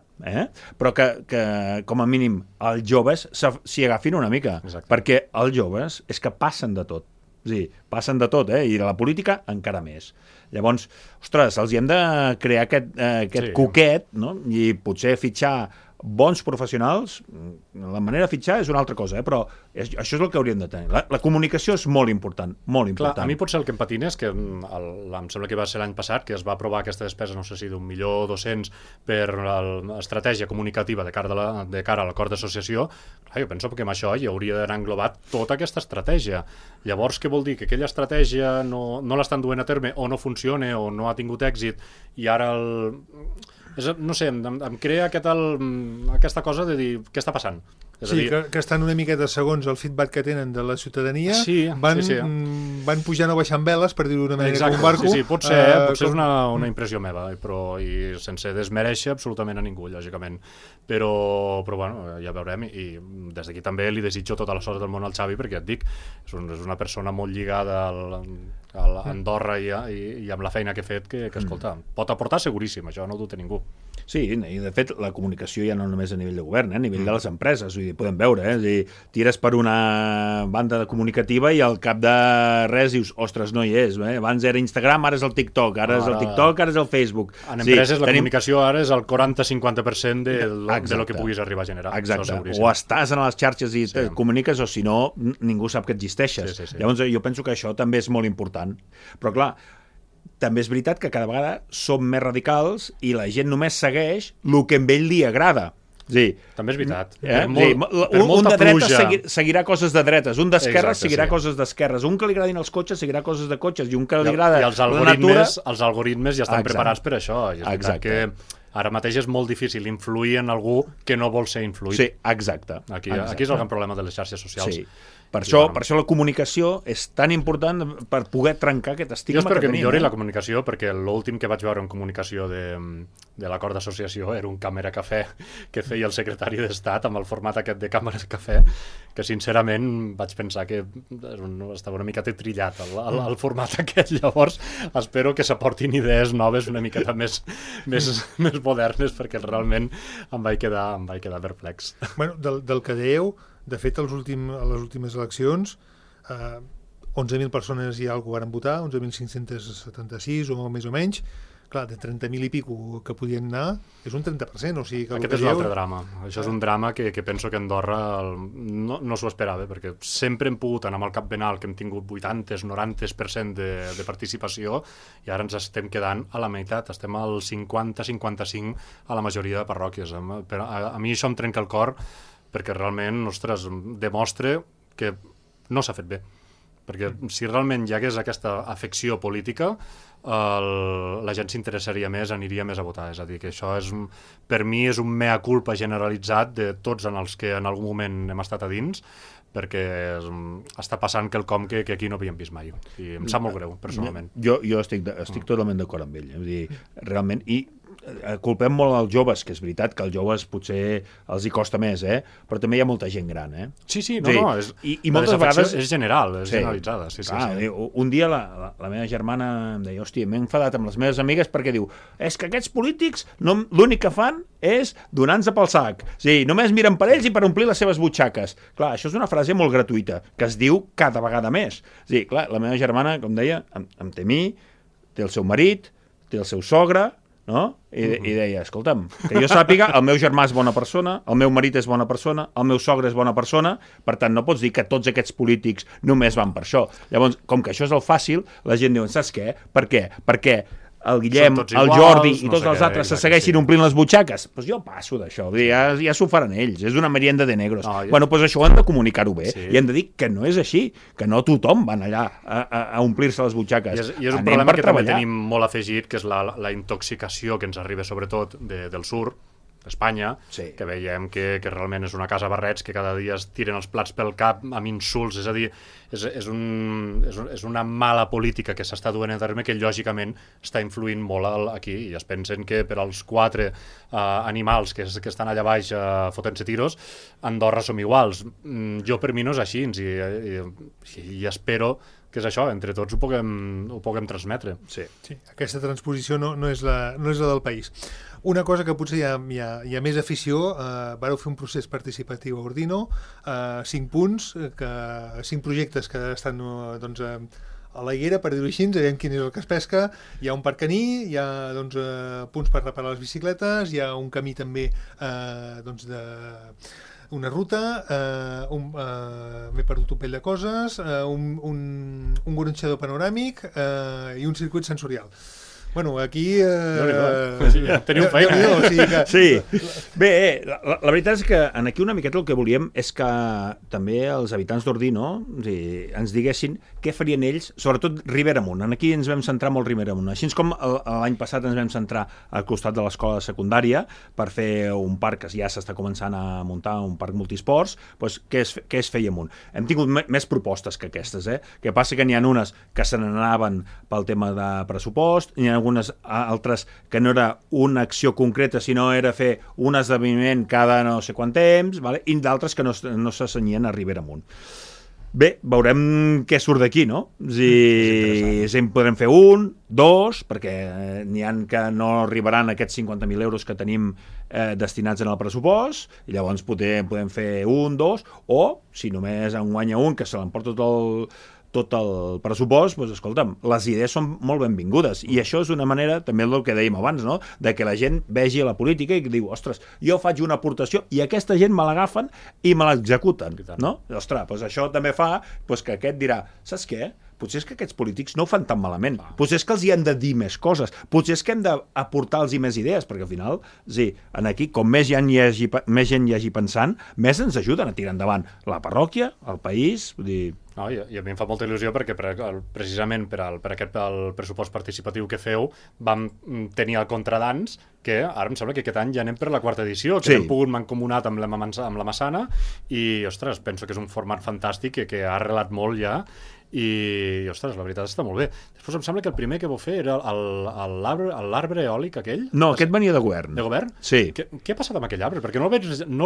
però que com a mínim els joves s'hi agafin una mica. Exacte. Perquè els joves és que passen de tot. És a dir, passen de tot, i de la política encara més. Llavors, ostres, els hi hem de crear aquest coquet, no? I potser fitxar bons professionals, la manera de fitxar és una altra cosa, però això és el que hauríem de tenir. La comunicació és molt important, molt important. Clar, a mi potser el que em patina és que em sembla que va ser l'any passat que es va aprovar aquesta despesa, no sé si d'1.200.000 per l'estratègia comunicativa de cara a l'acord d'associació. Clar, jo penso que amb això hi hauria d'anar englobat tota aquesta estratègia. Llavors, què vol dir? Que aquella estratègia no l'estan duent a terme o no funciona o no ha tingut èxit i ara no sé, em crea aquesta cosa de dir què està passant. Sí, que estan una miqueta segons el feedback que tenen de la ciutadania, van pujant o baixant veles, per dir-ho d'una manera, com un barco. Sí, potser és una impressió meva, i sense desmereixer absolutament a ningú, lògicament. Però bueno, ja veurem, i des d'aquí també li desitjo tota la sort del món al Xavi, perquè et dic, és una persona molt lligada a Andorra i amb la feina que ha fet, que escolta, pot aportar seguríssim, això no ho dubta ningú. Sí, i de fet la comunicació ja no només a nivell de govern, a nivell de les empreses, vull dir, podem veure, és a dir, tires per una banda comunicativa i al cap de res dius, ostres, no hi és, abans era Instagram, ara és el TikTok, ara és el TikTok, ara és el Facebook. En empreses la comunicació ara és el 40-50% de lo que puguis arribar a generar. Exacte, o estàs en les xarxes i te comuniques, o si no, ningú sap que existeixes. Llavors jo penso que això també és molt important. Però clar, també és veritat que cada vegada som més radicals i la gent només segueix el que a ell li agrada. També és veritat. Un de dretes seguirà coses de dretes, un d'esquerres seguirà coses d'esquerres, un que li agradin els cotxes seguirà coses de cotxes i un que li agrada la natura... Els algoritmes ja estan preparats per això. És veritat que ara mateix és molt difícil influir en algú que no vol ser influït. Sí, exacte. Aquí és el gran problema de les xarxes socials. Sí. Per això la comunicació és tan important per poder trencar aquest estigma. Jo espero que millori la comunicació, perquè l'últim que vaig veure en comunicació de l'acord d'associació era un càmera cafè que feia el secretari d'Estat amb el format aquest de càmera cafè, que sincerament vaig pensar que estava una mica trillat el format aquest. Llavors espero que s'aportin idees noves una miqueta més modernes, perquè realment em vaig quedar perplex. Bueno, del que dèieu, de fet, a les últimes eleccions, 11.000 persones ja algú van votar, 11.576 o més o menys. Clar, de 30.000 i pico que podien anar, és un 30%. O sigui que aquest és un altre drama. Això és un drama que penso que Andorra no s'ho esperava, perquè sempre hem pogut anar amb el cap ben alt, que hem tingut 80-90% de participació, i ara ens estem quedant a la meitat, estem al 50-55 a la majoria de parròquies. A mi això em trenca el cor, perquè realment, ostres, demostra que no s'ha fet bé. Perquè si realment hi hagués aquesta afecció política, la gent s'interessaria més, aniria més a votar. És a dir, que això per mi és un mea culpa generalitzat de tots en els que en algun moment hem estat a dins, perquè està passant quelcom que aquí no havíem vist mai. I em sap molt greu, personalment. Jo estic totalment d'acord amb ell. És a dir, realment... I culpem molt als joves, que és veritat que als joves potser els hi costa més, però també hi ha molta gent gran, Sí, i moltes vegades és general, és generalitzada. Un dia la meva germana em deia, hòstia, m'he enfadat amb les meves amigues perquè diu, és que aquests polítics l'únic que fan és donar-nos pel sac. Només miren per ells i per omplir les seves butxaques. Clar, això és una frase molt gratuïta, que es diu cada vegada més. Clar, la meva germana, com deia, em té a mi, té el seu marit, té el seu sogre, no? I deia, escolta'm, que jo sàpiga, el meu germà és bona persona, el meu marit és bona persona, el meu sogre és bona persona, per tant, no pots dir que tots aquests polítics només van per això. Llavors, com que això és el fàcil, la gent diu, saps què? Per què? Perquè el Guillem, el Jordi i tots els altres se segueixin omplint les butxaques. Doncs jo passo d'això, ja s'ho faran ells, és una merienda de negros. Bueno, doncs això ho hem de comunicar-ho bé i hem de dir que no és així, que no tothom van allà a omplir-se les butxaques. I és un problema que també tenim molt afegit, que és la intoxicació que ens arriba sobretot del sud, d'Espanya, que veiem que realment és una casa barrets, que cada dia es tiren els plats pel cap amb insults, és a dir, és una mala política que s'està duent a terme que lògicament està influint molt aquí, i es pensen que per als 4 animals que estan allà baix fotent-se tiros, a Andorra som iguals. Jo per mi no és així, i espero que és això, entre tots ho puguem transmetre. Sí, aquesta transposició no és la del país. Una cosa que potser hi ha més afició, vareu fer un procés participatiu a Ordino, 5 punts, 5 projectes que estan doncs, a la higuera, per dir-ho així, veiem quin és el que es pesca. Hi ha un parc caní, hi ha punts per reparar les bicicletes, hi ha un camí també una ruta, m'he perdut un pell de coses, un gronxador panoràmic i un circuit sensorial. Bueno, aquí... Teniu feina. Sí. Bé, la veritat és que aquí una miqueta el que volíem és que també els habitants d'Ordino ens diguessin què farien ells, sobretot Ribera Amunt. Aquí ens vam centrar molt Ribera Amunt. Així com l'any passat ens vam centrar al costat de l'escola secundària per fer un parc que ja s'està començant a muntar, un parc multisports, doncs què es feia amunt? Hem tingut més propostes que aquestes, que passa que n'hi ha unes que se n'anaven pel tema de pressupost, n'hi ha algunes altres que no era una acció concreta, sinó era fer un esdeveniment cada no sé quant temps, i d'altres que no s'assenyien a Ribera Amunt. Bé, veurem què surt d'aquí, no? Si en podrem fer 1, 2, perquè n'hi ha que no arribaran aquests 50.000 euros que tenim destinats en el pressupost, i llavors podem fer 1, 2, o si només en guanya un que se l'emporta tot el pressupost, doncs escolta'm, les idees són molt benvingudes, i això és una manera, també del que dèiem abans, no?, de que la gent vegi la política i diu, ostres, jo faig una aportació i aquesta gent me l'agafen i me l'executen, no? Ostres, doncs això també fa que aquest dirà, saps què? Potser és que aquests polítics no ho fan tan malament. Potser és que els hi hem de dir més coses. Potser és que hem d'aportar-los més idees, perquè al final, aquí, com més gent hi hagi pensant, més ens ajuden a tirar endavant la parròquia, el país, vull dir... I a mi em fa molta il·lusió perquè precisament per aquest pressupost participatiu que feu vam tenir el Contradans, que ara em sembla que aquest any ja anem per la 4ª edició, que hem pogut mancomunat amb la Massana, i, ostres, penso que és un format fantàstic que ha arrelat molt ja, i, ostres, la veritat està molt bé. Després em sembla que el primer que vau fer era l'arbre eòlic aquell. No, aquest venia de govern. De govern? Sí. Què ha passat amb aquell arbre? Perquè no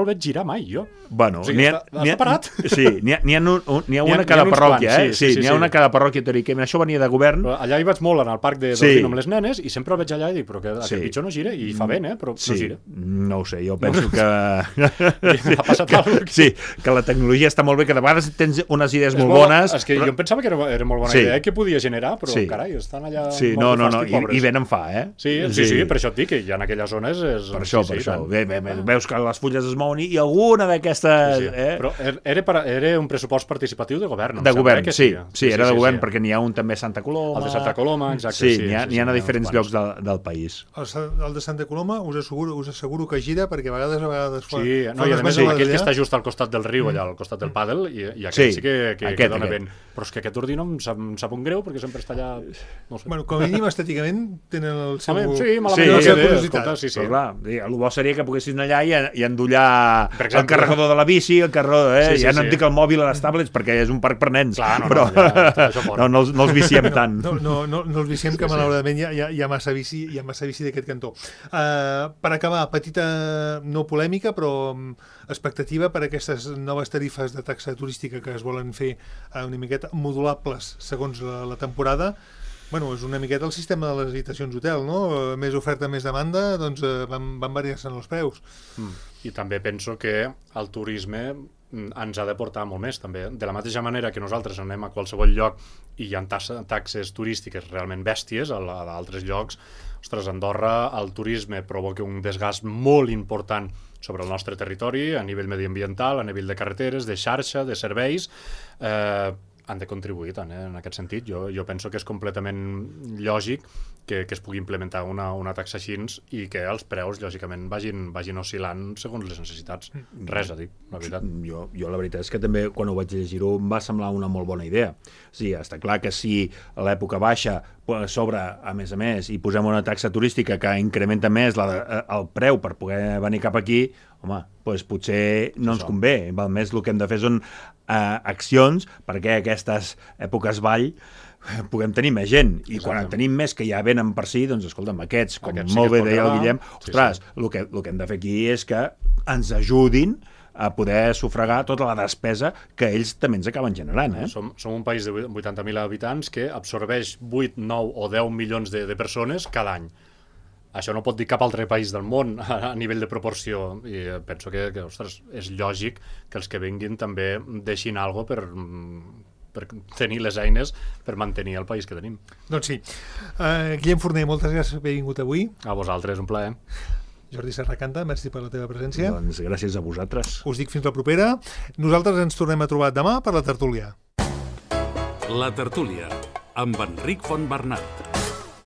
el veig girar mai, jo. Bueno, està parat? Sí, n'hi ha una a cada parròquia, Sí, n'hi ha una a cada parròquia, teòricament. Això venia de govern. Allà hi vaig molt, en el parc d'Ordino amb les nenes, i sempre el veig allà i dic, però que aquest pitjor no gira, i fa vent, però no gira. No ho sé, jo penso que... Ha passat alguna cosa. Sí, que la tecnologia està molt bé, que de vegades tens unes idees molt bones. És que jo em pensava que era molt bona idea que podia generar, però carai, estan allà molt fàstic, pobres. I venen fa, Sí, per això et dic que ja en aquelles zones és... Per això. Veus que les fulles es mouen i alguna d'aquestes... Però era un pressupost participatiu de govern. De govern, sí, era de govern, perquè n'hi ha un també a Santa Coloma. El de Santa Coloma, exacte. Sí, n'hi ha a diferents llocs del país. El de Santa Coloma us asseguro que gira, perquè a vegades sí, i a més aquell que està just al costat del riu, allà al costat del pàdel, i aquell sí que dona vent. Però és que aquest ordino em sap un greu, perquè sempre està allà... No sé. Bueno, com a mínim, estèticament, tenen el seu... Sí, la seva curiositat. Sí. Però clar, el bo seria que poguessis anar allà i endollar el carregador de la bici, el carregador... Ja no em dic el mòbil a les tablets, perquè és un parc per nens. Clar, però no els viciem tant. No els viciem, que malauradament hi ha massa bici d'aquest cantó. Per acabar, petita no polèmica, però expectativa per aquestes noves tarifes de taxa turística que es volen fer una miqueta modulables segons la temporada. Bueno, és una miqueta el sistema de les habitacions hotel, no? Més oferta, més demanda, doncs van variar-se'n els preus. I també penso que el turisme ens ha de portar molt més, també. De la mateixa manera que nosaltres anem a qualsevol lloc i hi ha taxes turístiques realment bèsties a altres llocs, ostres, a Andorra el turisme provoca un desgast molt important sobre el nostre territori, a nivell mediambiental, a nivell de carreteres, de xarxa, de serveis, han de contribuir tant, en aquest sentit. Jo penso que és completament lògic que es pugui implementar una taxa així i que els preus, lògicament, vagin oscil·lant segons les necessitats. Res a dir, la veritat. Jo la veritat és que també, quan ho vaig llegir-ho, em va semblar una molt bona idea. Sí, està clar que si a l'època baixa sobre, a més, i posem una taxa turística que incrementa més el preu per poder venir cap aquí, home, doncs potser no ens convé. Val més, el que hem de fer són accions perquè aquestes èpoques ball puguem tenir més gent, i quan en tenim més que ja venen per si, doncs escolta'm, aquests, com molt bé deia el Guillem, ostres, el que hem de fer aquí és que ens ajudin a poder sufragar tota la despesa que ells també ens acaben generant. Som un país de 80.000 habitants que absorbeix 8, 9 o 10 milions de persones cada any. Això no pot dir cap altre país del món a nivell de proporció, i penso que ostres, és lògic que els que vinguin també deixin alguna cosa per tenir les eines per mantenir el país que tenim. Doncs sí. Guillem Forner, moltes gràcies per haver vingut avui. A vosaltres, un plaer. Jordi Serracanta, merci per la teva presència. Doncs gràcies a vosaltres. Us dic fins la propera. Nosaltres ens tornem a trobar demà per la tertúlia. La tertúlia, amb Enric Fontbernat.